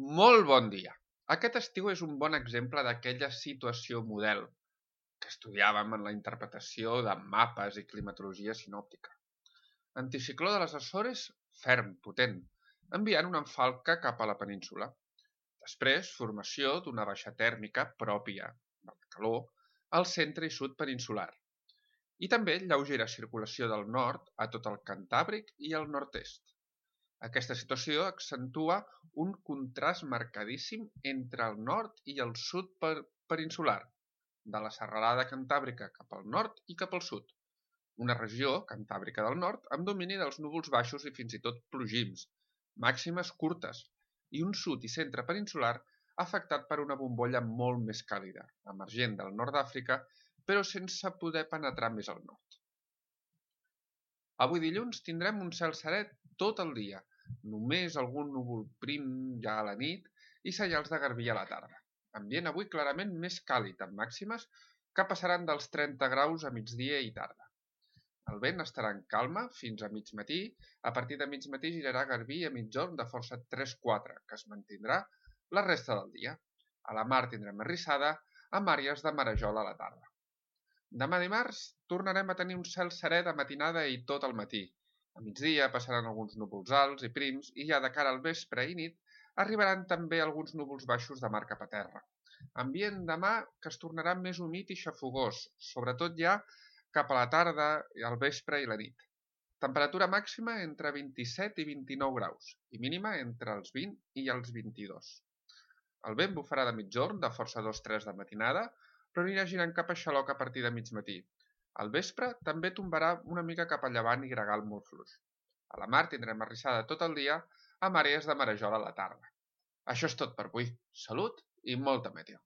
Molt bon dia! Aquest estiu és un bon exemple d'aquella situació model que estudiàvem en la interpretació de mapes i climatologia sinòptica. Anticicló de les Açores, ferm, potent, enviant una falca cap a la península. Després, formació d'una baixa tèrmica pròpia de la calor al centre i sud peninsular. I també lleugera circulació del nord a tot el Cantàbric i el nord-est. Aquesta situació accentua un contrast marcadíssim entre el nord i el sud peninsular, de la serralada cantàbrica cap al nord i cap al sud. Una regió, Cantàbrica del Nord, amb domini dels núvols baixos i fins i tot plogims, màximes curtes, i un sud i centre peninsular afectat per una bombolla molt més càlida, emergent del nord d'Àfrica, però sense poder penetrar més al nord. Avui dilluns tindrem un cel serè tot el dia, només algun núvol prim ja a la nit i senyals de garbí a la tarda. Ambient avui clarament més càlid, amb màximes que passaran dels 30 graus a migdia i tarda. El vent estarà en calma fins a mig matí, a partir de mig matí girarà garbí a migjorn de força 3-4, que es mantindrà la resta del dia. A la mar tindrem arrissada, amb àrees de marejol a la tarda. Demà dimarts tornarem a tenir un cel serè de matinada i tot el matí. A migdia passaran alguns núvols alts i prims i ja de cara al vespre i nit arribaran també alguns núvols baixos de mar cap a terra. Ambient demà que es tornarà més humit i xafogós, sobretot ja cap a la tarda, al vespre i la nit. Temperatura màxima entre 27 i 29 graus i mínima entre els 20 i els 22. El vent bufarà de migjorn de força 2-3 de matinada, però anirà girant cap a xaloc a partir de mig matí. Al vespre també tombarà una mica cap a llevant i gregal molt fluix. A la mar tindrem arrissada tot el dia amb àrees de marejol a la tarda. Això és tot per avui. Salut i molta meteo!